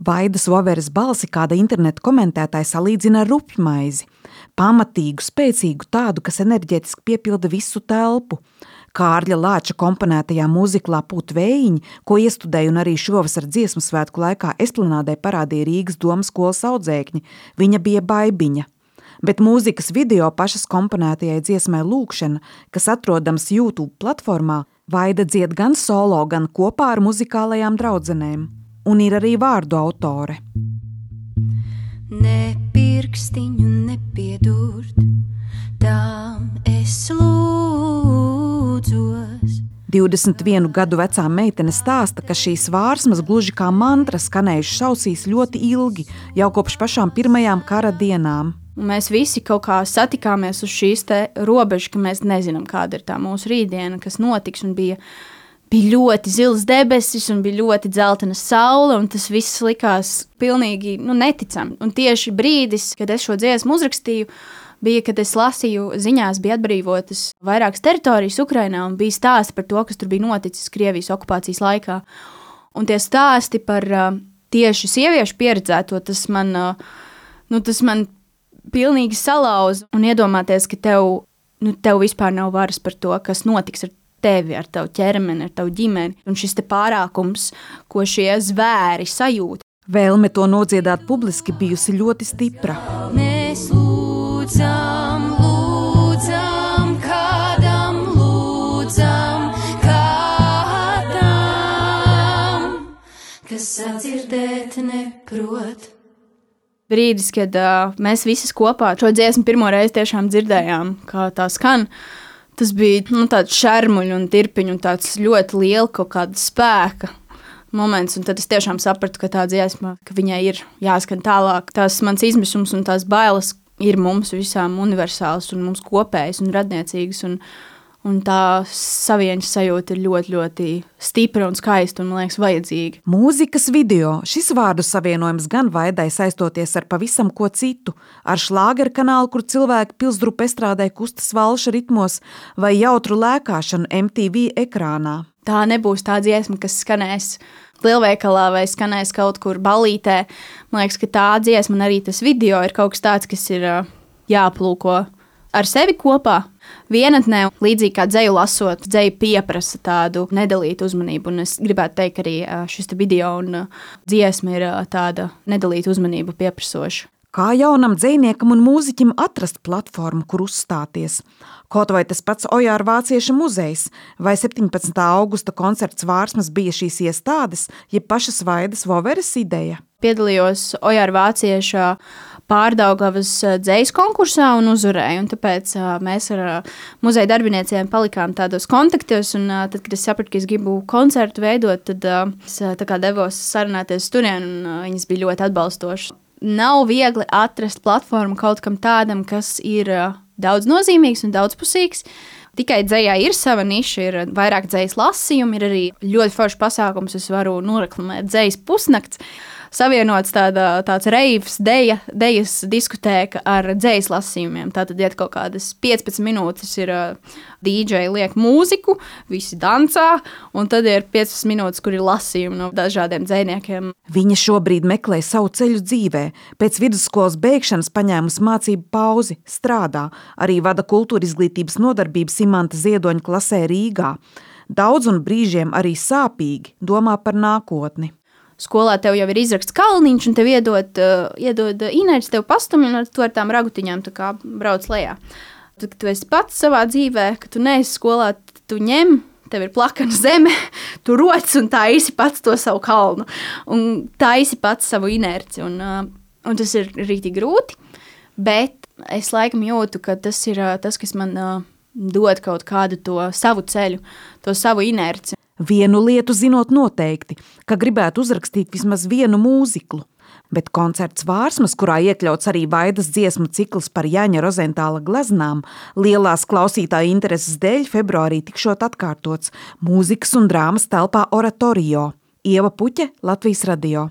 Vaidas Voveres balsi kāda interneta komentētāja salīdzina ar rupjmaizi. Pamatīgu, spēcīgu tādu, kas enerģētiski piepilda visu telpu. Kārļa Lāča komponētajā mūziklā Pūt vējiņi, ko iestudēja un arī šovasar dziesmu svētku laikā Esplanādē parādīja Rīgas domas skolas audzēkņi, viņa bija Baibiņa. Bet mūzikas video pašas komponētajai dziesmai Lūkšana, kas atrodams YouTube platformā, Vaida dzied gan solo, gan kopā ar muzikālajām draudzenēm. Un ir arī vārdu autore. Ne pirkstiņu nepiedurt, tām es lūdzos. 21 gadu vecā meitene stāsta, ka šīs vārsmas gluži kā mantra skanējušas ausīs ļoti ilgi, jau kopš pašām pirmajām kara dienām. Un mēs visi kaut kā satikāmies uz šīs te robežas, ka mēs nezinām, kāda ir tā mūsu rītdiena, kas notiks, un bija ļoti zils debesis un bija ļoti dzeltena saule, un tas viss likās pilnīgi neticami. Un tieši brīdis, kad es šo dziesmu uzrakstīju, bija, kad es lasīju ziņās, bija atbrīvotas vairākas teritorijas Ukrainā, un bija stāsti par to, kas tur bija noticis Krievijas okupācijas laikā. Un tie stāsti par tieši sieviešu pieredzēto, tas man pilnīgi salauza, un iedomāties, ka tev vispār nav varas par to, kas notiks ar tevi, ar tavu ķermeni, ar tavu ģimeni, un šis te pārākums, ko šie zvēri sajūt. Vēlme to nodziedāt publiski bijusi ļoti stipra. Mēs lūdzam, kādam lūdzam, kas sadzirdēt neprot. Brīdis, kad mēs visas kopā šo dziesmu pirmo reizi tiešām dzirdējām, kā tā skan, tas bija tāds šermuļu un tirpiņu un tāds ļoti liela kaut kāda spēka moments. Un tad es tiešām sapratu, ka tā dziesma, ka viņai ir jāskan tālāk. Tās mans izmisums un tās bailes ir mums visām universāls un mums kopējas un radniecīgas. Un tā savieņas sajūta ir ļoti, ļoti stipra un skaista un, man liekas, vajadzīga. Mūzikas video. Šis vārdu savienojums gan Vaidai saistoties ar pavisam ko citu, ar šlāgeru kanālu, kur cilvēki pilsdrupu estrādē kustas valša ritmos vai jautru lēkāšanu MTV ekrānā. Tā nebūs tā dziesma, kas skanēs lielveikalā vai skanēs kaut kur ballītē. Man liekas, ka tā dziesma un arī tas video ir kaut kas tāds, kas ir jāplūko ar sevi kopā. Vienatnē, līdzīgi kā dzeju lasot, dzeja pieprasa tādu nedalītu uzmanību, un es gribētu teikt, ka arī šis video un dziesma ir tāda nedalīta uzmanība pieprasoša. Kā jaunam dzejniekam un mūziķim atrast platformu, kur uzstāties? Kaut vai tas pats Ojāra Vācieša muzejs vai 17. augusta koncerts Vārsmas bija šīs iestādes, ja pašas Vaidas Voveres ideja? Piedalījos Ojāra Vācieša Pārdaugavas dzejas konkursā un uzvarēju, un tāpēc mēs ar muzeja darbiniecēm palikām tādos kontaktos, un tad, kad es sapratu, ka es gribu koncertu veidot, tad es tā kā devos sarunāties turien, un viņas bija ļoti atbalstošas. Nav viegli atrast platformu kaut kam tādam, kas ir daudz nozīmīgs un daudzpusīgs. Tikai dzejā ir sava niša, ir vairāk dzejas lasījumi, ir arī ļoti foršs pasākums, es varu noreklamēt dzejas pusnakts. Savienots tāds reivs, dejas diskotēka ar dzejas lasījumiem. Tātad iet kaut kādas 15 minūtes ir DJ liek mūziku, visi dancā, un tad ir 15 minūtes, kur ir lasījumi no dažādiem dzejniekiem. Viņa šobrīd meklē savu ceļu dzīvē. Pēc vidusskolas beigšanas paņēmusi mācību pauzi, strādā, arī vada kultūra izglītības nodarbību Simanta Ziedoņa klasē Rīgā. Daudz un brīžiem arī sāpīgi domā par nākotni. Skolā tev jau ir izraksts kalniņš, un tev iedod inerci, tev pastumj, un tu ar tām ragutiņām tā kā brauc lejā. Tad, kad tu esi pats savā dzīvē, kad tu neesi skolā, tu ņem, tev ir plakana zeme, tu roc un taisi pats to savu kalnu, un taisi pats savu inerci, un tas ir rītīgi grūti, bet es laikam jūtu, ka tas ir tas, kas man dod kaut kādu to savu ceļu, to savu inerci. Vienu lietu zinot noteikti, ka gribētu uzrakstīt vismaz vienu mūziklu, bet koncerts Vārsmas, kurā iekļauts arī Vaidas dziesmu cikls par Jaņa Rozentāla gleznām, lielās klausītāju intereses dēļ februārī tikšot atkārtots mūzikas un drāmas telpā Oratorio. Ieva Puķe, Latvijas radio.